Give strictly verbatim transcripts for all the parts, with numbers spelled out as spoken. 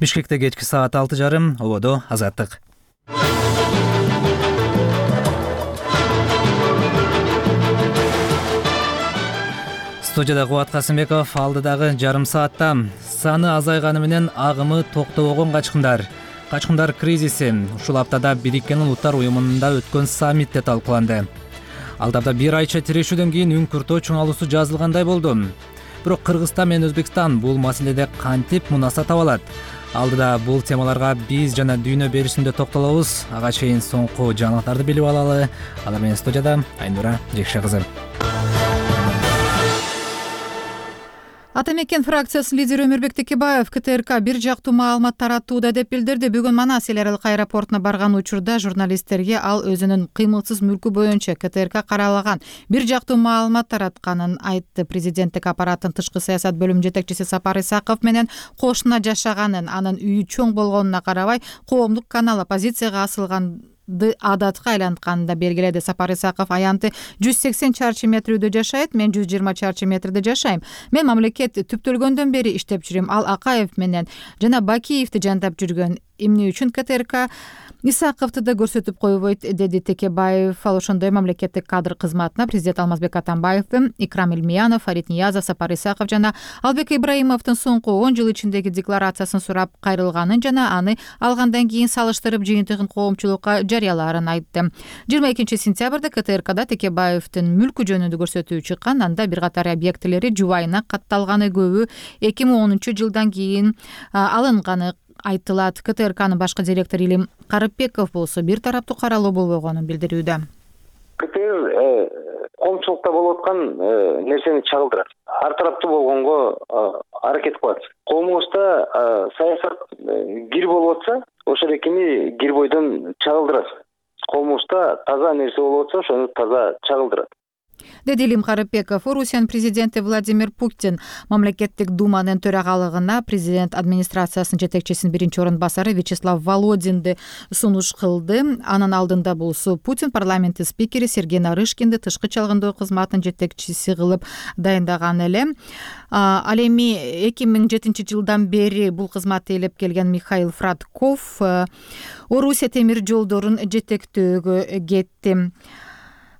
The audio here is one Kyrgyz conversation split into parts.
Бишкекте кечки саат алты жарым, ободо Азаттык. Студияда Кубат Касымбеков. Алдыдагы жарым саатта саны азайганы менен агымы токтобогон качкындар. Качкындар кризиси ушул аптада Бириккен Улуттар уюмунда өткөн саммитте талкууланды. Алдабда бир айча тирешүүдөн кийин үн-күртөө чоңалуусу жазылгандай болду. Бирок Кыргызстан менен Өзбекстан бул маселеде кантип мунаса таба алат? Алдыда бул темаларга биз жана дүйнө беришинде токтолобуз. Ага чейин соңку жаңылыктарды билип алалы. Алар менен студияда Айнура Жекше кызы. Ата мекен фракциясынын лидери Өмүрбек Текебаев КТРК бир жактуу маалымат таратууда деп билдирди. Бүгүн Манас эл аралык аэропортуна барган учурда журналисттерге ал өзүнүн кыймылсыз мүлкү боюнча КТРК каралаган бир жактуу маалымат таратканын айтты. Президенттик аппараттын тышкы саясат бөлүмүнүн жетекчиси Сапар Исаков менен кошуна жашаганын, анын үйү чоң болгонуна карабай коомдук канал оппозицияга асылган адатка айлантканын белгиледи. Сапар Исаков аянты жүз сексен чарчы метр үйдө жашайт, мен жүз жыйырма чарчы метрде жашайм. Мен мамлекет түптөлгөндөн бери иштеп жүрөм. Ал Акаев менен жана Бакиевди жандап жүргөн. Эмне үчүн КТРК Исаковду да көрсөтүп койбойт, деди Текебаев. Ал ошондой мамлекеттик кадр кызматына президент Алмазбек Атамбаев, Икрам Элмиянов, Фарид Ниязов, Сапар Исаков жана Албек Ибраимовдун соңку он жыл ичиндеги декларациясын сурап кайрылганын жана аны алгандан кийин салыштырып жыйынтыгын коомчулукка жарыялаарын айтты. жыйырма экинчи сентябрда КТРКда Текебаевдин мүлкү жөнүндө көрсөтүү чыккан. Анда бир катар объектилери жубайына катталганы, көбү эки миң онунчу жылдан кийин алынганы айтылат. КТРКнын башкы директору Илим Карыпбеков болсо бир тараптуу каралуу болбогонун билдирүүдө. КТР коомчулукта болуп аткан нерсени чагылдырат. Ар тараптуу болгонго аракет кылат. Коомубузда саясат кир болуп атса, ошол экини кир бойдон чагылдырат. Коомубузда таза нерсе болуп атса, ошону таза чагылдырат, деди Илим Карыпбеков. Орусиянын президенти Владимир Путин мамлекеттик думанын төрагалыгына президент администрациясынын жетекчисинин биринчи орун басары Вячеслав Володинди сунуш кылды. Анын алдында болсо Путин парламенттин спикери Сергей Нарышкинди тышкы чалгындоо кызматынын жетекчиси кылып дайындаган эле. Ал эми эки миң жетинчи жылдан бери бул кызматты ээлеп келген Михаил Фрадков Орусия темир жолдорун жетектөөгө кетти.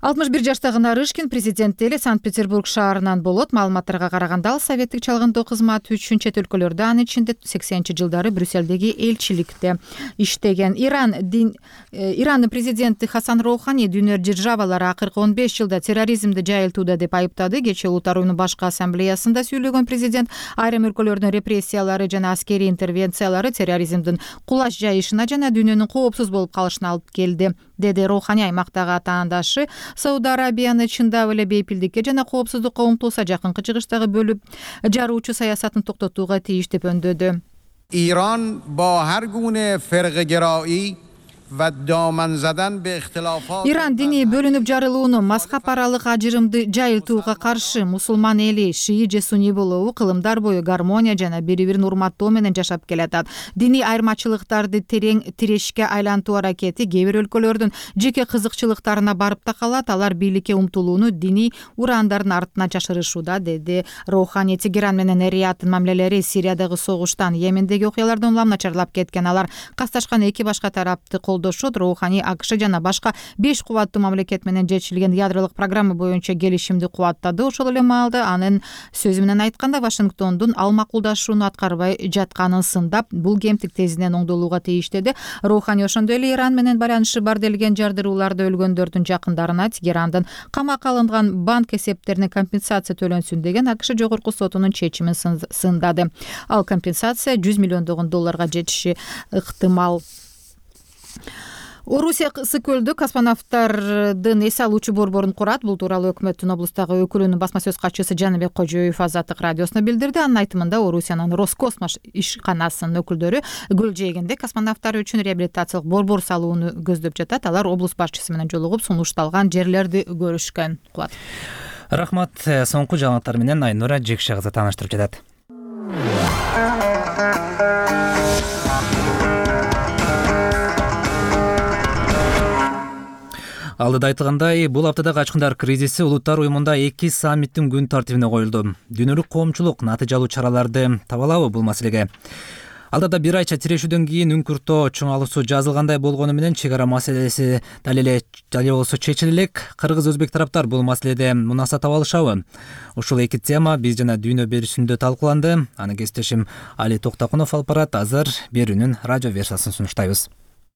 алтымыш бир жаштагы Нарышкин президентти эле Санкт-Петербург шаарынан болот. Маалыматтарга караганда ал советтик чалгындоо кызматы үчүн чет өлкөлөрдө, анын ичинде сексенинчи жылдары Брюссельдеги элчиликте иштеген. Иран дин Ирандын президенти Хасан Роухани дүйнө державалары акыркы он беш жылда терроризмди жайылтууда деп айыптады. Кечээ Улуттар уюмунун башкы ассамблеясында сүйлөгөн президент айрым өлкөлөрдүн репрессиялары жана аскерий интервенциялары терроризмдин кулаш жайышына жана дүйнөнүн коопсуз болуп калышына алып келди, деди Роухани. Аймактагы атаандашы Сауд Арабияны чындап эле бейпилдикке жана коопсуздукка умтулса, жакынкы чыгыштагы бөлүп жаруучу саясатын токтотууга тийиш деп өндөдү. Иран ба ҳар гуне фирқагироӣ Иран диний бөлүнүп жарылууну, мазхаб аралык ажырымды жайылтууга каршы. Мусулман эли шии же сунний болобу кылымдар бою гармония жана бири-бирин урматтоо менен жашап келатат. Диний айырмачылыктарды терең тирешке айлантуу аракети кээ бир өлкөлөрдүн жеке кызыкчылыктарына барып такалат. Алар бийликке умтулууну диний урандардын артына жашырышууда, деди Роухани. Тегеран менен Рияддын мамилелери Сириядагы согуштан, Йемендеги окуялардан улам начарлап кеткен. Алар касташкан эки башка тарапты колдошот. Роухани АКШ жана башка беш кубаттуу мамлекет менен жетишилген ядролук программа боюнча келишимди кубаттады. Ошол эле маалда анын сөзү менен айтканда Вашингтондун ал макулдашууну аткарбай жатканын сындап, бул кемтик тезинен оңдолууга тийиш, деди Роухани. Ошондой эле Иран менен байланышы бар делген жардырууларда өлгөндөрдүн жакындарына Тегерандын камакка алынган банк эсептерине компенсация төлөнсүн деген АКШ жогорку сотунун чечимин сындады. Ал компенсация жүз миллиондогон долларга жетиши ыктымал. Орусия Ысы көлдө космонавттардын эс алуучу борборун курат. Бул тууралуу өкмөттүн облустагы өкүлүнүн басма сөз катчысы Жаныбек Кожоев Азаттык радиосуна билдирди. Анын айтымында Орусиянын Роскосмос ишканасынын өкүлдөрү Көлжээгинде космонавттар үчүн реабилитациялык борбор салууну көздөп жатат. Алар облус башчысы менен жолугуп, сунушталган жерлерди көрүшкөн. Кубат. Рахмат. Соңку жаңылыктар менен Айнура Жекше кызы тааныштырып жатат. Алдыда айтылгандай, бул аптада качкындар кризиси Улуттар уюмунда эки саммиттин күн тартибине коюлду. Дүйнөлүк коомчулук натыйжалуу чараларды таба алабы бул маселеге? Алдыда бир айча тирешүүдөн кийин үңкүртөө чоң алуусу жазылгандай болгону менен чек ара маселеси дал эле дал болсо чечиле элек. Кыргыз өзбек тараптар бул маселеде мунаса таба алышабы? Ушул эки тема биз жана дүйнө берүүсүндө талкууланды. Аны кесиптешим Али Токтокунов алып барат. Азыр берүүнүн радио версиясын сунуштайбыз.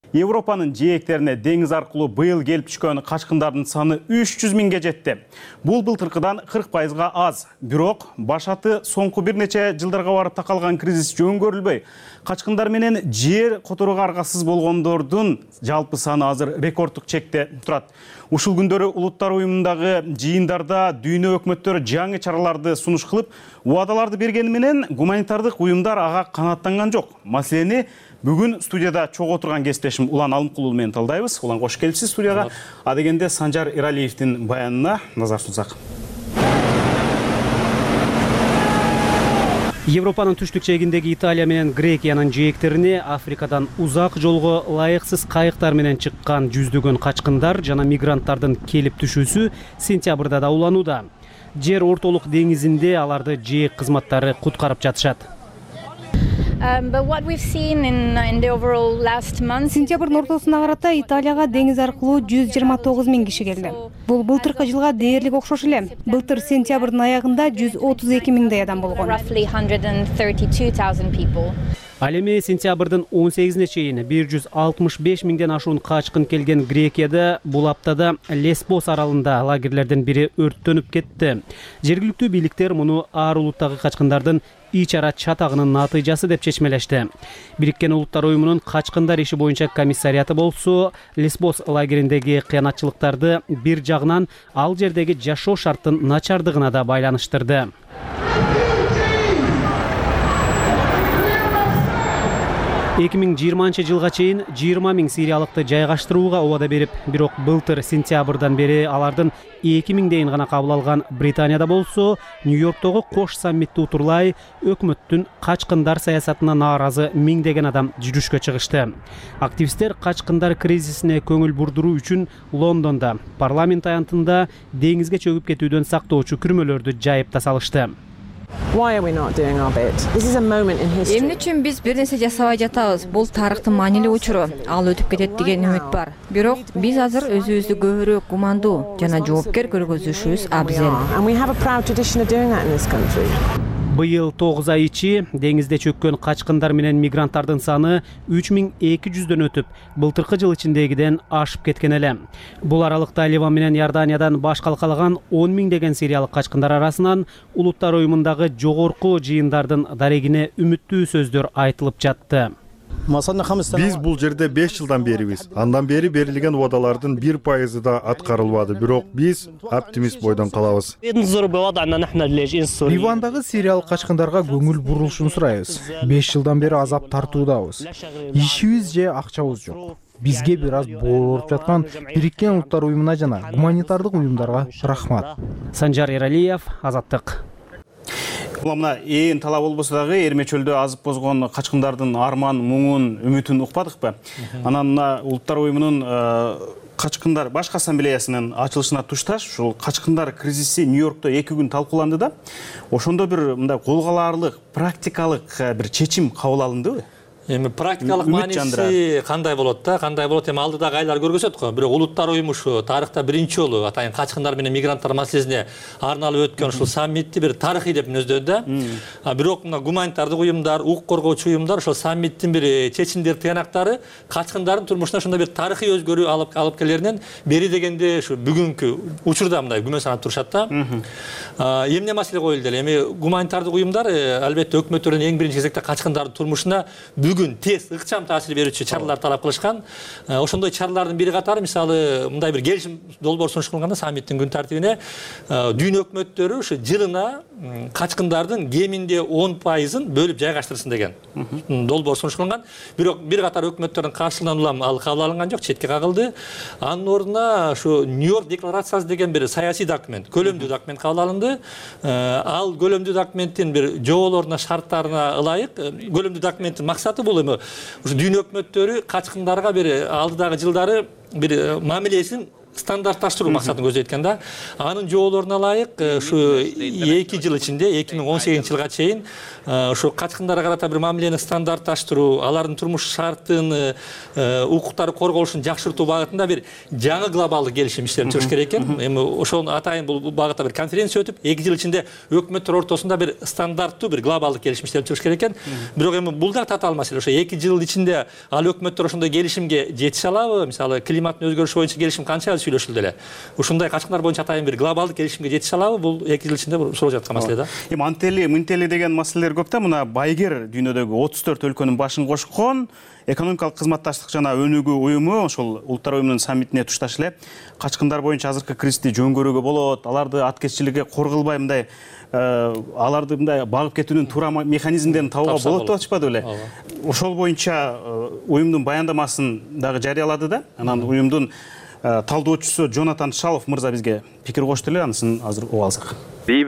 Европанын жээктерине деңиз аркылуу быйыл келип түшкөн качкындардын саны үч жүз миңге жетти. Бул былтыркыдан кырк пайызга аз. Бирок башаты соңку бир нече жылдарга барып такалган кризис жөн көрүлбөй, качкындар менен жер которууга аргасыз болгондордун жалпы саны азыр рекорддук чекте турат. Ушул күндөрү Улуттар уюмундагы жыйындарда дүйнө өкмөттөрү жаңы чараларды сунуш кылып, убадаларды бергени менен гуманитардык уюмдар ага канааттанган жок. Маселени бүгүн студияда чогуу отурган кесиптешим Улан Алымкулуу менен талдайбыз. Улан, кош келипсиз студияга. А дегенде Санжар Эралиевдин баянына назар сунсак. Европанын түштүк чегиндеги Италия менен Грекиянын жээктерине Африкадан узак жолго ылайыксыз кайыктар менен чыккан жүздөгөн качкындар жана мигранттардын келип түшүүсү сентябрда да уланууда. Жер ортолук деңизинде аларды жээк кызматтары куткарып жатышат. Сентябрдын ортосуна карата Италияга деңиз аркылуу жүз жыйырма тогуз миң киши келди. Бул былтыркы жылга дээрлик окшош эле. Былтыр сентябрдын аягында жүз отуз эки миңдей адам болгон. Ал эми сентябрдын он сегизине чейин бир жүз алтымыш беш миңден ашуун качкын келген Грекияда бул аптада Лесбос аралында лагерлердин бири өрттөнүп кетти. Жергиликтүү бийликтер муну ар улуттагы качкындардын ич ара чатагынын натыйжасы деп чечмелешти. Бириккен Улуттар уюмунун качкындар иши боюнча комиссариаты болсо, Лесбос лагериндеги кыянатчылыктарды бир жагынан ал жердеги жашоо шарттын начардыгына да байланыштырды. эки миң жыйырманчы жылга чейин жыйырма миң сириялыкты жайгаштырууга убада берип, бирок былтыр сентябрдан бери алардын эки миңдейин гана кабыл алган Британияда болсо, Нью-Йорктогу кош саммитти утурлай өкмөттүн качкындар саясатына нааразы миңдеген адам жүрүшкө чыгышты. Активисттер качкындар кризисине көңүл бурдуруу үчүн Лондонда парламент аянтында деңизге чөгүп кетүүдөн сактоочу күрмөлөрдү жайып да салышты. Эмне үчүн биз бир нерсе жасабай жатабыз? Бул тарыхтын маанилүү учуру. Ал өтүп кетет деген үмүт бар. Бирок биз азыр өзүбүздү көбүрөөк гумандуу жана жоопкер көргөзүшүбүз абзел. Быйыл тогуз ай ичи деңизде чөккөн качкындар менен мигранттардын саны үч миң эки жүздөн өтүп, былтыркы жыл ичиндегиден ашып кеткен эле. Бул аралыкта Ливан менен Иорданиядан баш калкалаган он миңдеген сириялык качкындар арасынан Улуттар уюмундагы жогорку жыйындардын дарегине үмүттүү сөздөр айтылып жатты. Биз бул жерде беш жылдан берибиз. Андан бери берилген убадалардын бир пайызы да аткарылбады. Бирок биз оптимист бойдон калабыз. Ливандагы сириялык качкындарга көңүл бурулушун сурайбыз. беш жылдан бери азап тартуудабыз. Ишибиз же акчабыз жок. Бизге бир аз боороп жаткан Бириккен Улуттар уюмуна жана гуманитардык уюмдарга рахмат. Санжар Эралиев, Азаттык. Мына ээн талап болбосо дагы Эрме чөлдө азып бозгон качкындардын арман, муңун, үмүтүн укпадыкпы? Анан мына Улуттар уюмунун качкындар башкы ассамблеясынын ачылышына тушташ ушул качкындар кризиси Нью-Йоркто эки күн талкууланды да. Ошондо бир мындай кол калаарлык, практикалык бир чечим кабыл алындыбы? Эми практикалык мааниси кандай болот да, кандай болот эми алдыдагы айлар көргөзөт го. Бирок Улуттар уюму ушу тарыхта биринчи жолу атайын качкындар менен мигранттар маселесине арналып өткөн ушул саммитти бир тарыхый деп мүнөздөдү да. Бирок мына гуманитардык уюмдар, укук коргоочу уюмдар ошол саммиттин бир чечимдер тыянактары качкындардын турмушуна ошондой бир тарыхый өзгөрүү алып алып келеринен бери дегенде ушу бүгүнкү учурда мындай күмөн санап турушат да. Эмне маселе коюлду эле? Эми гуманитардык уюмдар албетте өкмөттөрдөн эң биринчи кезекте качкындардын турмушуна бүгүн тез ыкчам таасир берүүчү чаралар талап кылышкан. Ошондой чаралардын бири катары мисалы мындай бир келишим долбоор сунуш кылганда саммиттин күн тартибине дүйнө өкмөттөрү ушу жылына качкындардын кеминде он пайызын бөлүп жайгаштырсын деген долбоор сунуш кылган. Бирок бир катар өкмөттөрдүн каршылыгынан улам ал кабыл алынган жок, четке кагылды. Анын ордуна ушу Нью-Йорк декларациясы деген бир саясий документ, көлөмдүү документ кабыл алынды. Ал көлөмдүү документтин бир жоболоруна, шарттарына ылайык көлөмдүү документтин максаты бул ушу дүйнө өкмөттөрү качкындарга бир алдыдагы жылдары бир мамилесин стандартташтыруу максатын көздөйт экен да. Анын жоолоруна ылайык ушу эки жыл ичинде эки миң он сегизинчи жылга чейин ушу качкындарга карата бир мамилени стандартташтыруу, алардын турмуш шартын, укуктары корголушун жакшыртуу багытында бир жаңы глобалдык келишим иштелип жүрүш керек экен. Эми ошол атайын бул багытта бир конференция өтүп, эки жыл ичинде өкмөттөр ортосунда бир стандарттуу бир глобалдык келишим иштелип жүрүш керек экен. Бирок эми бул да татаал маселе. Ошо эки жыл ичинде ал өкмөттөр ошондой келишимге жетише алабы? Мисалы, климаттын өзгөрүшү боюнча келишим канча сүйлөшүлдү эле. Ушундай качкындар боюнча атайын бир глобалдык келишимге жетише алабы? Бул эки жыл ичинде суралып жаткан маселе да. Эми антели, мынтели деген маселелер көп да. Мына байгер дүйнөдөгү отуз төрт өлкөнүн башын кошкон экономикалык кызматташтык жана өнүгүү уюму, ошол улуттар уюмунун саммитине тушташ эле качкындар боюнча азыркы кризисти жөнгөрүүгө болот, аларды аткезчиликке корголбай мындай аларды мындай багып кетүүнүн туура механизмдерин табууга болот деп атышпады беле? Ошол боюнча уюмдун баяндамасын дагы жарыялады да. Анан уюмдун талдоочусу Джонатан Шалов мырза бизге пикир кошту эле, анысын азыр угуп алсак. эки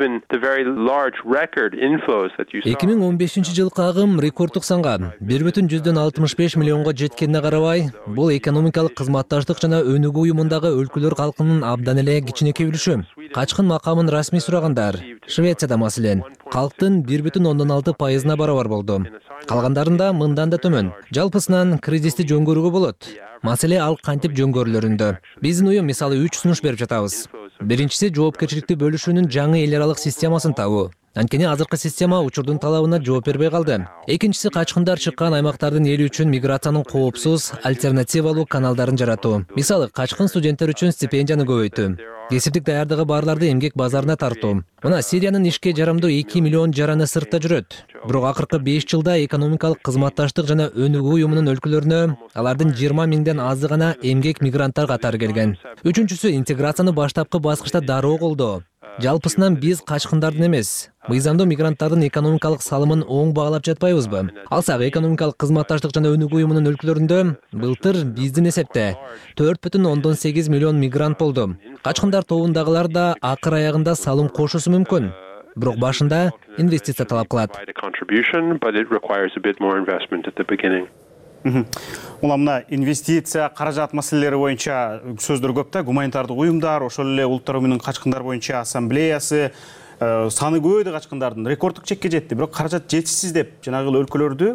миң он бешинчи жылкы агым рекорддук санга бир бүтүн жүздөн алтымыш беш миллионго жеткенине карабай, бул экономикалык кызматташтык жана өнүгүү уюмундагы өлкөлөр калкынын абдан эле кичинекей үлүшү. Качкын макамын расмий сурагандар Швецияда маселен калктын бир бүтүн ондон алты пайызына барабар болду. Калгандарында мындан да төмөн. Жалпысынан кризисти жөнгөрүүгө болот. Маселе ал кантип жөнгөрүлөрүндө. Биздин уюм мисалы үч сунуш берип жатабыз. Биринчиси жоопкерчиликти бөлүшүүнүн жаңы эл аралык системасын табуу. Анткени азыркы система учурдун талабына жооп бербей калды. Экинчиси качкындар чыккан аймактардын эли үчүн миграциянын коопсуз, альтернативалуу каналдарын жаратуу. Мисалы, качкын студенттер үчүн стипендияны көбөйтүү, кесиптик даярдыгы барларды эмгек базарына тартуу. Мына Сириянын ишке жарамдуу эки миллион жараны сыртта жүрөт. Бирок акыркы беш жылда экономикалык кызматташтык жана өнүгүү уюмунун өлкөлөрүнө алардын жыйырма миңден азы гана эмгек мигранттар катары келген. Үчүнчүсү интеграцияны баштапкы баскычта дароо колдоо. Жалпысынан биз качкындардын эмес, мыйзамдуу мигранттардын экономикалык салымын оң баалап жатпайбызбы? Алсак, экономикалык кызматташтык жана өнүгүү уюмунун өлкөлөрүндө былтыр биздин эсепте төрт бүтүн ондон сегиз миллион мигрант болду. Качкындар тобундагылар да акыр аягында салым кошусу мүмкүн. Бирок башында инвестиция талап кылат. Ула мына инвестиция, каражат маселелери боюнча сөздөр көп да. Гуманитардык уюмдар, ошол эле улуттар уюмунун качкындар боюнча ассамблеясы саны көбөйдү, качкындардын рекорддук чекке жетти. Бирок каражат жетишсиз деп жанагы өлкөлөрдү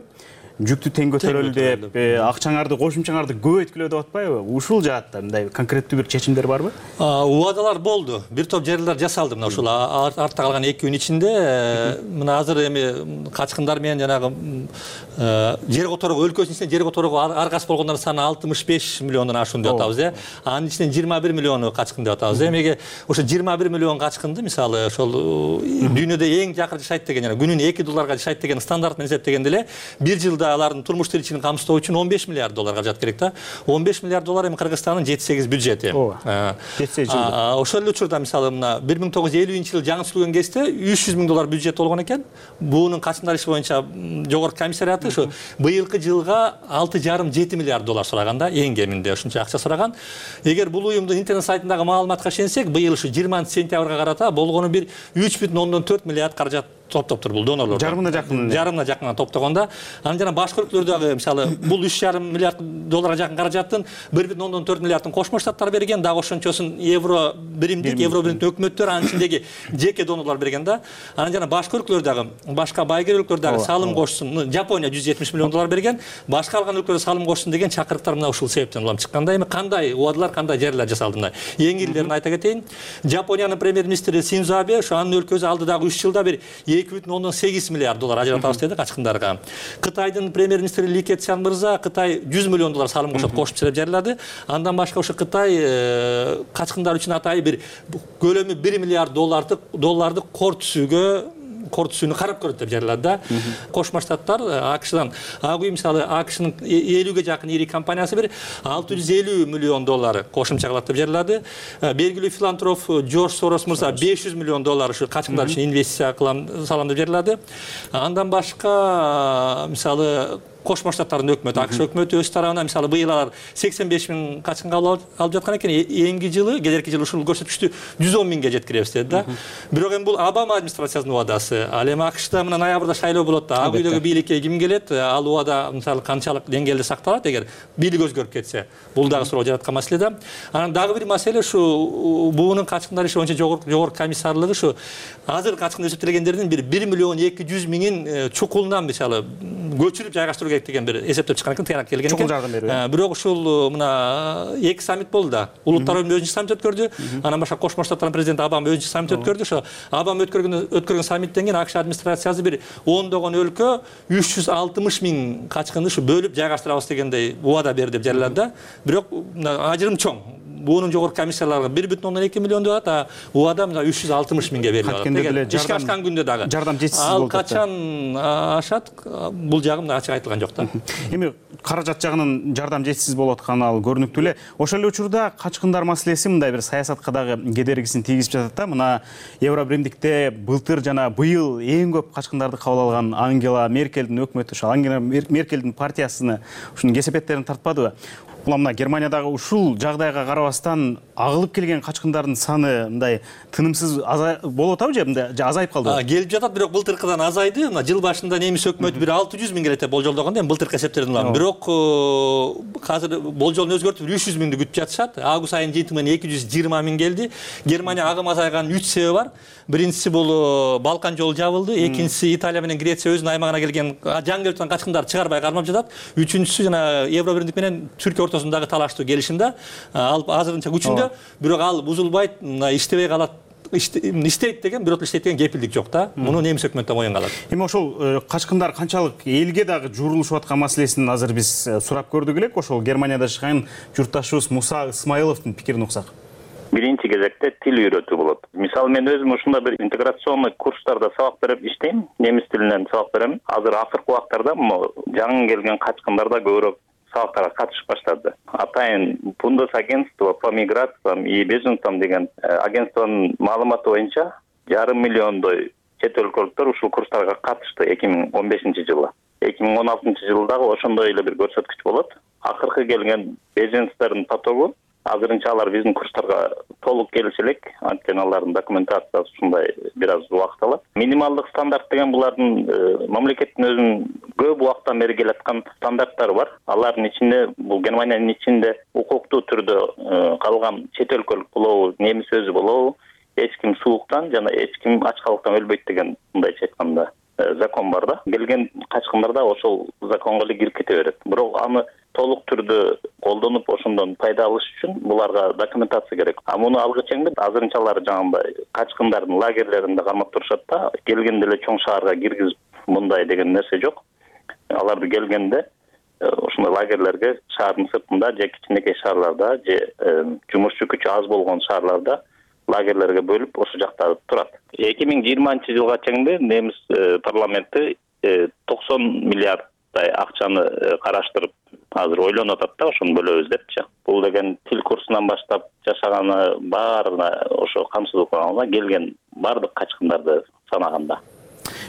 жүктү тең көтөрөлү деп, акчаңарды, кошумчаңарды көбөйткүлө деп атпайбы? Ушул жаатта мындай конкреттүү бир чечимдер барбы? Убадалар болду. Бир топ жерлер жасалды мына ушул артта калган эки күн ичинде. Мына азыр эми качкындар менен жанагы жер которого өлкөсүнүн ичинде жер которого аргасы болгондордун саны алтымыш беш миллиондон ашуун деп атабыз, э. Анын ичинен жыйырма бир миллиону качкын деп атабыз. Эмеге ошо жыйырма бир миллион качкынды мисалы ошол дүйнөдө эң жакыр жашайт деген, жана күнүнө эки долларга жашайт деген стандарт менен эсептегенде эле бир жылда алардын турмуш тиричилигин камсыздоо үчүн он беш миллиард доллар каражат керек да. он беш миллиард доллар эми Кыргызстандын жети сегиз бюджети. жети сегиз жылда. Ошол эле учурда мисалы мына бир миң тогуз жүз элүүнчү жылы жаңы түзүлгөн кезде үч жүз миң доллар бюджет болгон экен. Буунун качкындар иши боюнча жогорку комиссариаты ушу быйылкы жылга алты жарым жети миллиард доллар сураган да, эң кеминде ушунча акча сураган. Эгер бул уюмдун интернет сайтындагы маалыматка ишенсек, быйыл ушу жыйырманчы сентябрга карата болгону бир үч бүтүн ондон төрт миллиард каражат топтоптур бул донорлор. Жарымына жакын. Жарымына жакын топтогонда. Анан жана башка өлкөлөрдөгү мисалы бул үч жарым миллиард долларга жакын каражаттын бир бүтүн ондон төрт миллиардын Кошмо Штаттар берген, дагы ошончосун евро биримдик, евро биримдик өкмөттөр анын ичиндеги жеке донорлор берген да. Анан жана башка өлкөлөрдөгү, башка байгер өлкөлөрдөгү салым кошсун, Жапония жүз жетимиш миллион доллар берген, башка калган өлкөлөр салым кошсун деген чакырыктар мына ушул себептен улам чыкканда. Эми кандай убадалар, кандай жерлер жасалды мына. Эң илдерин айта кетейин. Жапониянын премьер-министри Синдзо Абе ошо анын өлкөсү алдыдагы үч жылда бир эки бүтүн ондон сегиз миллиард доллар ажыратабыз деди качкындарга. Кытайдын премьер-министри Ли Кэцян мырза Кытай жүз миллион доллар салым кошот, кошумча деп жарыялады. Андан башка ошо Кытай качкындар үчүн атайын бир көлөмү бир миллиард доллардык долларды кор түсүүгө кор түсүүнү карап көрөт деп жарыялады да. Кошмо Штаттар АКШдан агуй мисалы АКШнын элүүгө жакын ири компаниясы бир алты жүз элүү миллион доллар кошумча кылат деп жарыялады. Белгилүү филантроп Джордж Сорос мырза беш жүз миллион доллар ушу качкындар үчүн инвестиция кылам салам деп жарыялады. Андан башка мисалы Кошмо Штаттардын өкмөтү, АКШ өкмөтү өз тарабынан мисалы быйыл алар сексен беш миң качкынга алып жаткан экен. Эңги жылы, келерки жылы ушул көрсөткүчтү жүз он миңге жеткиребиз деди да. Бирок эми бул Обама администрациясынын убадасы. Ал эми АКШта мына ноябрда шайлоо болот да. Ак үйдөгү бийликке ким келет? Ал убада мисалы канчалык деңгээлде сакталат эгер бийлик өзгөрүп кетсе. Бул дагы суроо жараткан маселе да. Анан дагы бир маселе ушу буунун качкындар иши боюнча жогорку комиссарлыгы ушу азыр качкын эсептелгендердин бир бир миллион эки жүз миңин чукулунан мисалы көчүрүп жайгаштыруу керек деген бир эсептеп чыккан экен, тыянак келген экен. Чукул жардам берүү. Бирок ушул мына эки саммит болду да. Улуттар уюму өзүнчө саммит өткөрдү. Анан башка Кошмо Штаттардын президенти Обама өзүнчө саммит өткөрдү. Ошо Обама өткөргөн өткөргөн саммиттен кийин АКШ администрациясы бир ондогон өлкө үч жүз алтымыш миң качкынды ушу бөлүп жайгаштырабыз дегендей убада берди деп жарыялады да. Бирок ажырым чоң. Буунун жогорку комиссияларга бир бүтүн ондон эки миллион деп атат, а убада мына үч жүз алтымыш миңге берилет. Ишке ашкан күндө дагы жардам жетишсиз болуп атат. Ал качан ашат, бул жагы мына ачык айтылган жок да. Эми каражат жагынан жардам жетишсиз болуп атканы ал көрүнүктүү эле. Ошол эле учурда качкындар маселеси мындай бир саясатка дагы кедергисин тийгизип жатат да. Мына Евробиримдикте былтыр жана быйыл эң көп качкындарды кабыл алган Ангела Меркельдин өкмөтү, ошо Ангела Меркельдин партиясына ушунун кесепеттерин тартпадыбы? Бул мына Германиядагы ушул жагдайга карабастан агылып келген качкындардын саны мындай тынымсыз болуп атабы же мындай азайып калдыбы? Келип жатат, бирок былтыркыдан азайды. Мына жыл башында немис өкмөтү бир алты жүз миң келет деп болжолдогон, эми былтыркы эсептерден улам. Бирок азыр болжолун өзгөртүп үч жүз миңди күтүп жатышат. Август айынын жети менен эки жүз жыйырма миң келди. Германия агым азайганын үч себеби бар. Биринчиси бул Балкан жолу жабылды, экинчиси Италия менен Греция өзүнүн аймагына келген жаңы келип жаткан качкындарды чыгарбай кармап жатат. Үчүнчүсү жана Евробиримдик менен Түркия ортосундагы талаштуу келишим да. Ал азырынча күчүндө, бирок ал бузулбайт, иштебей калат. Иштейт деген, бирок иштейт деген кепилдик жок да. Муну немис өкмөтү да моюнга алат. Эми ошол качкындар канчалык элге дагы журулушуп аткан маселесин азыр биз сурап көрдүк элек. Ошол Германияда жашаган журтташыбыз Муса Исмаиловдун пикирин уксак. Биринчи кезекте тил үйрөтүү болот. Мисалы мен өзүм ушундай бир интеграционный курстарда сабак берип иштейм, немис тилинен сабак берем. Азыр акыркы убактарда жаңы келген качкындар да көбүрөөк сабактарга катышып баштады. Атайын Бундесагентство по миграциям и беженцам деген агентствонун маалыматы боюнча жарым миллиондой чет өлкөлүктөр ушул курстарга катышты эки миң он бешинчи жылы. эки миң он алтынчы жылдагы ошондой эле бир көрсөткүч болот. Акыркы келген беженцтердин потогу азырынча алар биздин курстарга толук келише элек, анткени алардын документациясы ушундай бир аз убакыт алат. Минималдык стандарт деген булардын мамлекеттин өзүнүн көп убакыттан бери келаткан стандарттары бар. Алардын ичинде бул Германиянын ичинде укуктуу түрдө калган чет өлкөлүк болобу, немис өзү болобу, эч ким сууктан жана эч ким ачкалыктан өлбөйт деген мындайча айтканда закон бар да. Келген качкындар да ошол законго эле кирип кете берет. Бирок аны толук түрдө колдонуп ошондон пайда алыш үчүн буларга документация керек. А муну алгыча азырынчалары жаңагындай качкындардын лагерлеринде кармап турушат да, келгенде эле чоң шаарга киргизип мындай деген нерсе жок. Аларды келгенде ошондой лагерлерге шаардын сыртында же кичинекей шаарларда же жумушчу күчү аз болгон шаарларда лагерлерге бөлүп ошол жакта турат. эки миң жыйырманчы жылга чейин немис парламенти токсон миллиарддай акчаны караштырып азыр ойлонуп атат да, ошону бөлөбүз депчи. Бул деген тил курсунан баштап жашаганы баарына ошо камсыздуу кылганда келген бардык качкындарды санаганда.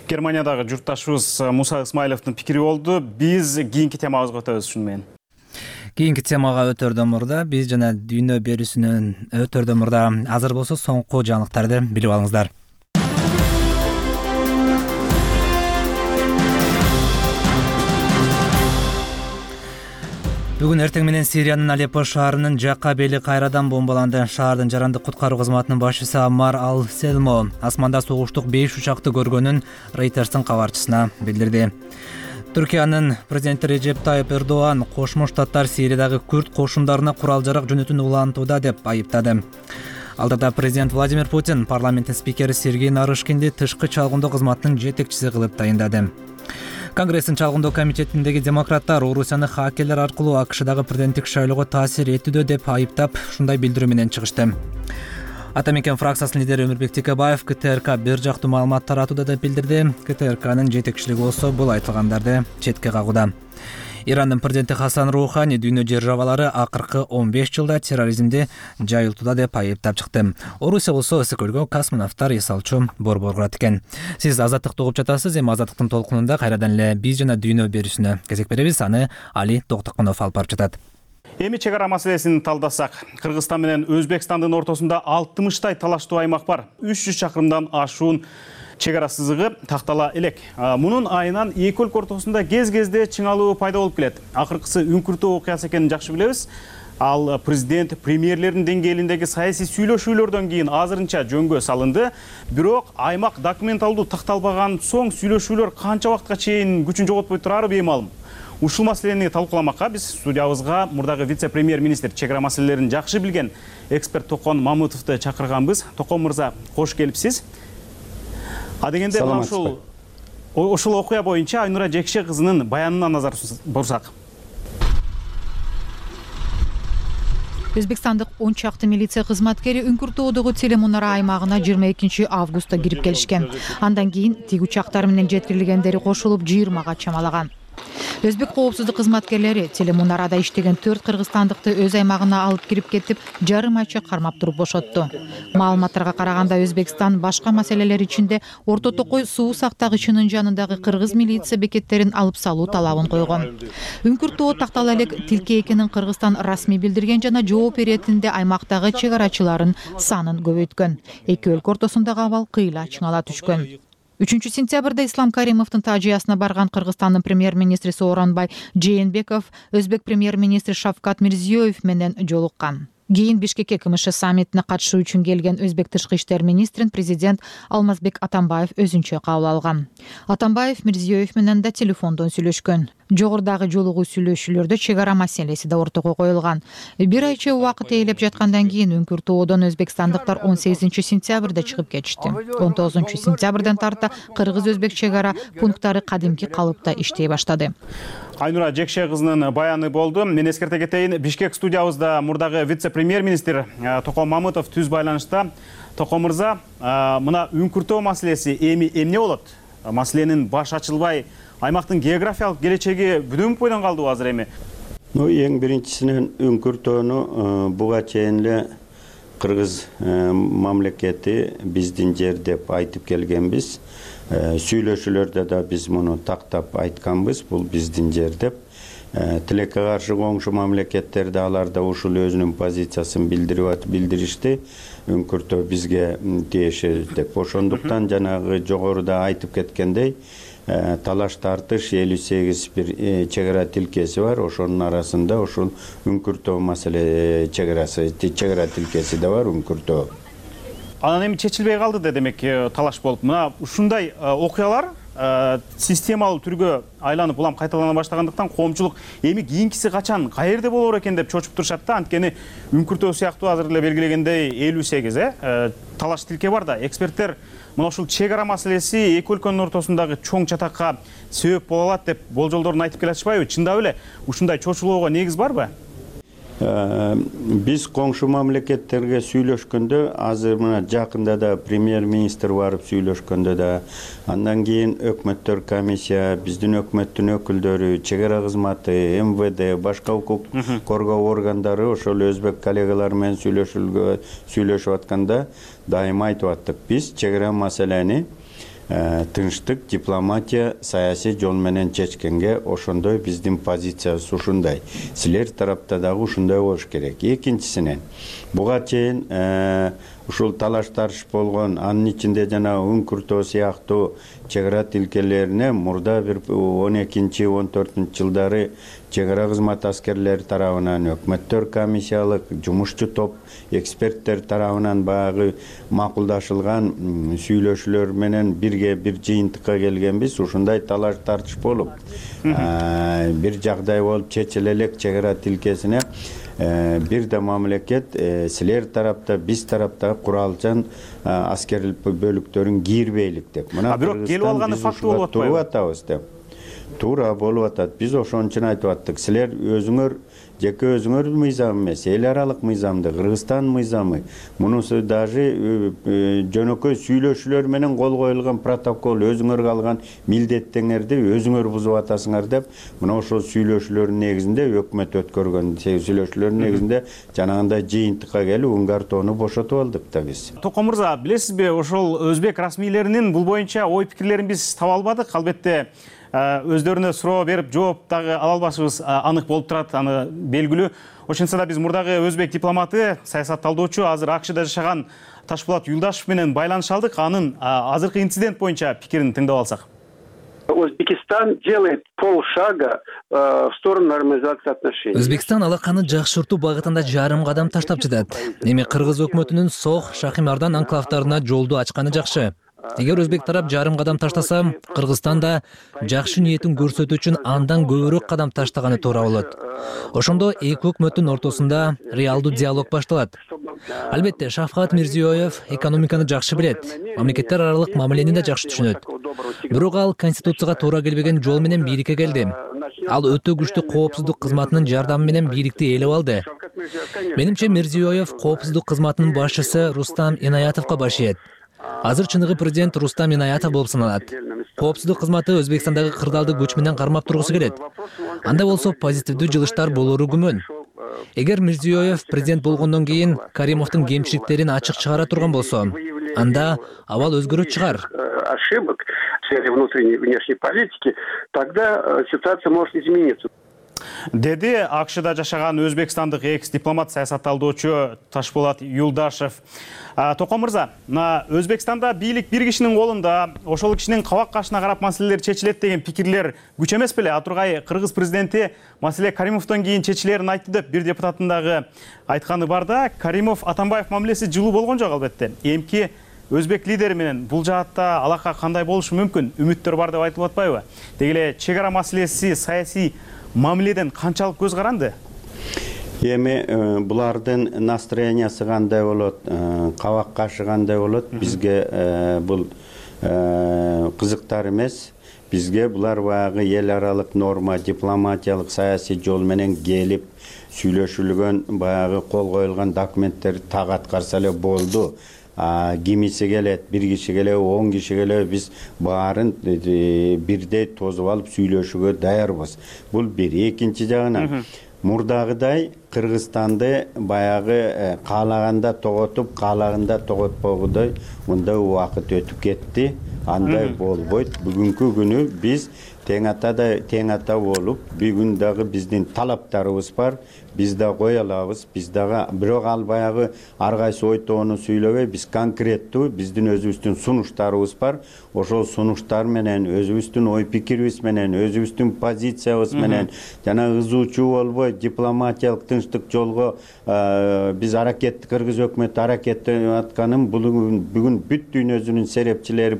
Германиядагы журтташыбыз Муса Исмаиловдун пикири болду. Биз кийинки темабызга өтөбүз ушуну менен. Кийинки темага өтөрдөн мурда биз жана дүйнө берүүсүнөн өтөрдөн мурда азыр болсо соңку жаңылыктарды билип алыңыздар. Бүгүн эртең менен Сириянын Алеппо шаарынын жакка бели кайрадан бомбаланды. Шаардын жарандык куткаруу кызматынын башчысы Амар Ал-Селмо асманда согуштук беш учакты көргөнүн Рейтерстин кабарчысына билдирди. Түркиянын президенти Режеп Тайып Эрдоган Кошмо Штаттар Сириядагы күрд кошундарына курал-жарак жөнөтүүнү улантууда деп айыптады. Алдыда президент Владимир Путин парламенттин спикери Сергей Нарышкинди тышкы чалгындоо кызматынын жетекчиси кылып тайындады. Конгресстин чалгындоо комитетиндеги демократтар Орусияны хакерлер аркылуу АКШдагы президенттик шайлоого таасир этүүдө деп айыптап, ушундай билдирүү менен чыгышты. Ата мекен фракциясынын лидери Өмүрбек Текебаев КТРК бир жактуу маалымат таратууда деп билдирди. КТРКнын жетекчилиги болсо бул айтылгандарды четке кагууда. Ирандын президенти Хасан Рухани дүйнө державалары акыркы он беш жылда терроризмди жайылтууда деп айыптап чыкты. Орусия болсо өсөкөлгө космонавттар эс алчу борбор курат экен. Сиз Азаттыкты угуп жатасыз. Эми Азаттыктын толкунунда кайрадан эле биз жана дүйнө берүүсүнө кезек беребиз. Аны Али Токтокунов алып барып жатат. Эми чек ара маселесин талдасак, Кыргызстан менен Өзбекстандын ортосунда алтымыштай талаштуу аймак бар. үч жүз чакырымдан ашуун чек ара сызыгы тактала элек. Мунун айынан эки өлкө ортосунда кез-кезде чыңалуу пайда болуп келет. Акыркысы үңкүртүү окуясы экенин жакшы билебиз. Ал президент, премьерлердин деңгээлиндеги саясий сүйлөшүүлөрдөн кийин азырынча жөнгө салынды. Бирок аймак документалдуу такталбаган соң сүйлөшүүлөр канча убакытка чейин күчүн жоготпой турары беймалым. Ушул маселени талкууламакка биз студиябызга мурдагы вице-премьер-министр чек ара маселелерин жакшы билген эксперт Токон Мамытовду чакырганбыз. Токон мырза, кош келипсиз. А дегенде ушул ушул окуя боюнча Айнура Жекше кызынын баянына назар бурсак. Өзбекстандык он чакты милиция кызматкери Үңкүртөөдөгү Телемунара аймагына жыйырма экинчи августта кирип келишкен. Андан кийин тиг учактар менен жеткирилгендери кошулуп жыйырмага чамалаган. Өзбек коопсуздук кызматкерлери Телемунарада иштеген төрт кыргызстандыкты өз аймагына алып кирип кетип, жарым айча кармап туруп бошотту. Маалыматтарга караганда Өзбекстан башка маселелер ичинде Орто Токой суу сактагычынын жанындагы кыргыз милиция бекеттерин алып салуу талабын койгон. Үңкүртөө тактала элек тилке экенин Кыргызстан расмий билдирген жана жооп беретинде аймактагы чек арачыларын санын көбөйткөн. Эки өлкө ортосундагы абал кыйла чыңала түшкөн. үчүнчү сентябрда Ислам Каримовдун Тажиясына барган Кыргызстандын премьер-министри Сооронбай Жээнбеков Өзбек премьер-министри Шавкат Мирзиёев менен жолуккан. Кийин Бишкекке КМШ саммитине катышуу үчүн келген Өзбек тышкы иштер министрин президент Алмазбек Атамбаев өзүнчө кабыл алган. Атамбаев Мирзиёев менен да телефондон сүйлөшкөн. Жогорудагы жолугуу сүйлөшүүлөрдө чек ара маселеси да ортого коюлган. Бир айча убакыт ээлеп жаткандан кийин Үңкүртөөдөн өзбекстандыктар он сегизинчи сентябрда чыгып кетишти. он тогузунчу сентябрдан тарта кыргыз-өзбек чек ара пункттары кадимки калыпта иштей баштады. Айнура Жекше кызынын баяны болду. Мен эскерте кетейин, Бишкек студиябызда мурдагы вице-премьер-министр Токон Мамытов түз байланышта. Токон мырза, мына Үңкүртөө маселеси эми эмне болот? Маселенин баш ачылбай, аймактын географиялык келечеги бүдөнүп бойдон калдыбы азыр эми? Ну, эң биринчисинен Үңкүртөөнү буга чейин эле кыргыз мамлекети биздин жер деп айтып келгенбиз. Сүйлөшүүлөрдө да биз муну тактап айтканбыз, бул биздин жер деп. Тилекке каршы коңшу мамлекеттерде алар да ушул өзүнүн позициясын билдирип билдиришти. Үңкүртөө бизге тиеши деп. Ошондуктан жанагы жогоруда айтып кеткендей, талаш тартыш элүү сегиз бир чек ара тилкеси бар. Ошонун арасында ушул Үңкүртөө маселе чек арасы, чек ара тилкеси да бар Үңкүртөө. Анан эми чечилбей калды да демек талаш болуп. Мына ушундай окуялар системалуу түргө айланып улам кайталана баштагандыктан коомчулук эми кийинкиси качан, каерде болор экен деп чочуп турушат да. Анткени Үңкүртөө сыяктуу азыр эле белгилегендей элүү сегиз э талаш тилке бар да. Эксперттер мына ушул чек ара маселеси эки өлкөнүн ортосундагы чоң чатакка себеп боло алат деп болжолдорун айтып келатышпайбы? Чындап эле ушундай чочулоого негиз барбы? Биз коңшу мамлекеттерге сүйлөшкөндө, азыр мына жакында да премьер-министр барып сүйлөшкөндө да, андан кийин өкмөттөр комиссия, биздин өкмөттүн өкүлдөрү, чек ара кызматы, эм вэ дэ, башка укук коргоо органдары ошол өзбек коллегалар менен сүйлөшүлгө сүйлөшүп атканда дайыма айтып аттык. Биз чек ара маселени тынчтык, дипломатия, саясий жол менен чечкенге ошондой биздин позициябыз ушундай. Силер тарапта дагы ушундай болуш керек. Экинчисинен, буга чейин ушул талаш тарыш болгон, анын ичинде жана Үңкүртөө сыяктуу чек ара тилкелерине мурда бир он экинчи он төртүнчү жылдары чек ара кызмат аскерлери тарабынан, өкмөттөр комиссиялык, жумушчу топ, эксперттер тарабынан баягы макулдашылган сүйлөшүүлөр менен бирге бир жыйынтыкка келгенбиз. Ушундай талаш тартыш болуп, бир жагдай болуп чечиле элек чек ара тилкесине бир да мамлекет силер тарапта, биз тарапта куралчан аскерлик бөлүктөрүн кийирбейлик деп. Мына бирок келип алганы факты болуп атпайбы? Туруп атабыз деп. туура болуп атат. Биз ошон үчүн айтып аттык, силер өзүңөр жеке өзүңөр мыйзам эмес, эл аралык мыйзамды, Кыргызстан мыйзамы, мунусу даже жөнөкөй сүйлөшүүлөр менен кол коюлган протокол, өзүңөр алган милдеттеңерди өзүңөр бузуп атасыңар деп, мына ошол сүйлөшүүлөрдүн негизинде өкмөт өткөргөн сүйлөшүүлөрдүн негизинде жанагындай жыйынтыкка келип Унгартоону бошотуп алдык да биз. Токон мырза, билесизби, ошол өзбек расмийлеринин бул боюнча ой пикирлерин биз таба албадык. Албетте өздөрүнө суроо берип жооп дагы ала албашыбыз анык болуп турат, аны белгилүү. Ошентсе да биз мурдагы өзбек дипломаты, саясатталдоочу, азыр АКШда жашаган Ташпулат Юлдашев менен байланыша алдык. Анын азыркы инцидент боюнча пикирин тыңдап алсак. Узбекистан делает полшага в сторону нормализации отношений. Өзбекстан алаканы жакшыртуу багытында жарым кадам таштап жатат. Эми Кыргыз өкмөтүнүн Сох, Шахимардан анклавдарына жолду ачканы жакшы. Эгер өзбек тарап жарым кадам таштаса, Кыргызстан да жакшы ниетин көрсөтүү үчүн андан көбүрөөк кадам таштаганы туура болот. Ошондо эки өкмөттүн ортосунда реалдуу диалог башталат. Албетте, Шавкат Мирзиёев экономиканы жакшы билет, мамлекеттер аралык мамилени да жакшы түшүнөт. Бирок ал конституцияга туура келбеген жол менен бийликке келди. Ал өтө күчтүү коопсуздук кызматынын жардамы менен бийликти ээлеп алды. Менимче Мирзиёев коопсуздук кызматынын башчысы Рустам Инаятовго баш ийет. Азыр чыныгы президент Рустам Инаятов болуп саналат. Коопсуздук кызматы Өзбекстандагы кырдаалды күч менен кармап тургусу келет. Анда болсо позитивдүү жылыштар болору күмөн. Эгер Мирзиёев президент болгондон кийин Каримовдун кемчиликтерин ачык чыгара турган болсо, анда абал өзгөрөт чыгар. Ошибок в сфере внутренней и внешней политики, тогда ситуация может измениться. Деди АКШда жашаган өзбекстандык экс-дипломат, саясатталдоочу Ташпулат Юлдашев. Токон мырза, Өзбекстанда бийлик бир кишинин колунда, ошол кишинин кабак кашына карап маселелер чечилет деген пикирлер күч эмес беле? Атургай Кыргыз президенти маселе Каримовдон кийин чечилерин айтты деп бир депутаттын дагы айтканы бар да. Каримов Атамбаев мамилеси жылуу болгон жок албетте. Эмки өзбек лидери менен бул жаатта алака кандай болушу мүмкүн? Үмүттөр бар деп айтылып атпайбы? Деги эле чек ара маселеси саясий мамиледен канчалык көз каранды? Эми булардын настроениясы кандай болот, кабак кашы кандай болот, бизге бул кызыктар эмес. Бизге булар баягы эл аралык норма, дипломатиялык, саясий жол менен келип сүйлөшүлгөн, баягы кол коюлган документтер так аткарса эле болду. Кимиси келет, бир киши келет, он киши келет, биз баарын бирдей тозуп алып сүйлөшүүгө даярбыз. Бул бир. Экинчи жагынан мурдагыдай Кыргызстанды баягы каалаганда тоготуп, каалаганда тоготпогудой мындай убакыт өтүп кетти. Андай болбойт. Бүгүнкү күнү биз тең атада тең ата болуп, бүгүн дагы биздин талаптарыбыз бар. Биз да кое алабыз, биз дагы бирок ал баягы ар кайсы ой тоону сүйлөбөй, биз конкреттүү биздин өзүбүздүн сунуштарыбыз бар. Ошол сунуштар менен, өзүбүздүн ой пикирибиз менен, өзүбүздүн позициябыз менен жана ызуучу болбой дипломатиялык тынчтык жолго биз аракет, Кыргыз өкмөтү аракеттенип атканын бүгүн бүт дүйнөзүнүн серепчилери,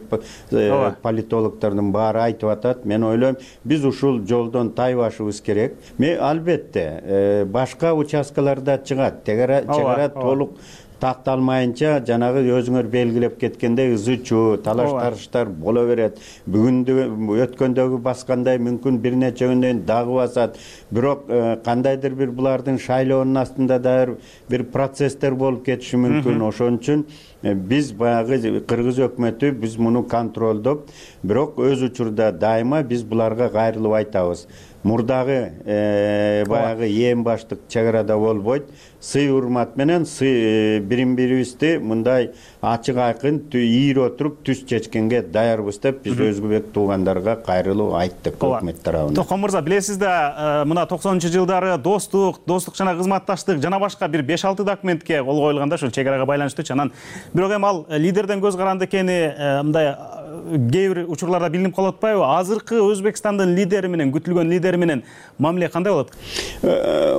политологдордун баары айтып атат. Мен ойлойм, биз ушул жолдон тайбашыбыз керек. Мен албетте башка участкаларда чыгат. Чек ара толук такталмайынча жанагы өзүңөр белгилеп кеткендей ызычуу, талаш-тарыштар боло берет. Бүгүндө өткөндөгү баскандай мүмкүн бир нече күндөн дагы басат. Бирок кандайдыр бир булардын шайлоонун астында да бир процесстер болуп кетиши мүмкүн. Ошон үчүн биз баягы Кыргыз өкмөтү биз муну контролдоп, бирок өз учурда дайыма биз буларга кайрылып айтабыз. Мурдагы баягы эң баштык чек арада болбойт. Сый урмат менен сый бирин-бирибизди мындай ачык айкын ийире отуруп түз чечкенге даярбыз деп биз өзбек туугандарга кайрылып айттык өкмөт тарабынан. Токон мырза, билесиз да, мына токсонунчу жылдары достук, достук жана кызматташтык жана башка бир беш алты документке кол коюлганда ушул чек арага байланыштуу. Анан бирок эми ал лидерден көз каранды экени мындай кээ бир учурларда билинип калып атпайбы? Азыркы Өзбекстандын лидери менен, күтүлгөн лидери менен мамиле кандай болот?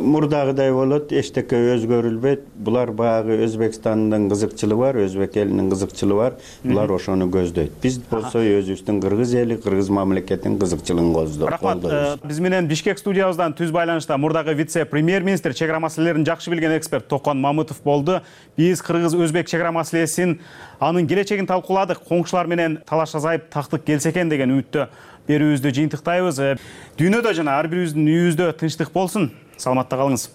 Мурдагыдай болот, эчтеке өзгөрүлбөйт. Булар баягы Өзбекстандын кызыкчылыгы бар, өзбек элинин кызыкчылыгы бар. Булар ошону көздөйт. Биз болсо өзүбүздүн Кыргыз эли, Кыргыз мамлекетинин кызыкчылыгын көздөйт. Рахмат. Биз менен Бишкек студиябыздан түз байланышта мурдагы вице-премьер-министр, чек ара маселелерин жакшы билген эксперт Токон Мамытов болду. Биз Кыргыз-Өзбек чек ара маселесин, анын келечегин талкууладык. Коңшулар менен талаш азайып, тактык келсе экен деген үмүттө берүүбүздү жыйынтыктайбыз. Дүйнөдө жана ар бирибиздин үйүбүздө тынчтык болсун. Саламатта калыңыз.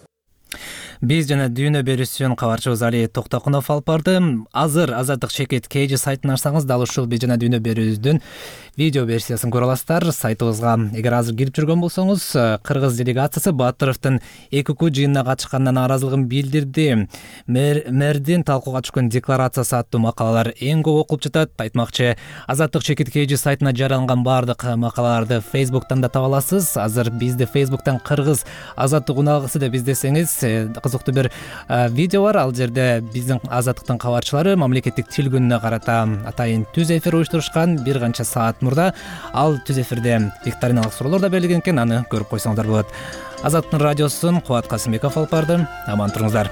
Биз жана дүйнө берүүсүн кабарчыбыз Али Токтокунов алып барды. Азыр Азаттык чекит Кейжи сайтын ачсаңыз дал ушул биз жана дүйнө берүүбүздүн видео версиясын көрө аласыздар. Сайтыбызга эгер азыр кирип жүргөн болсоңуз, кыргыз делегациясы Батыровдун ЭКК жыйынына катышканына нааразылыгын билдирди. Мэрдин талкууга түшкөн декларациясы аттуу макалалар эң көп окулуп жатат. Айтмакчы, Азаттык чекит Кейжи сайтына жарыяланган баардык макалаларды Facebook'тан да таба аласыз. Азыр бизди Facebook'тан кыргыз Азаттык уналгысы деп издесеңиз, кызыктуу бир видео бар. Ал жерде биздин Азаттыктын кабарчылары мамлекеттик тил күнүнө карата атайын түз эфир уюштурушкан. Бир канча саат мурда ал түз эфирде викториналык суроолор да берилген экен. Аны көрүп койсоңуздар болот. Азаттыктын радиосун Кубат Касымбеков алып барды. Аман туруңуздар.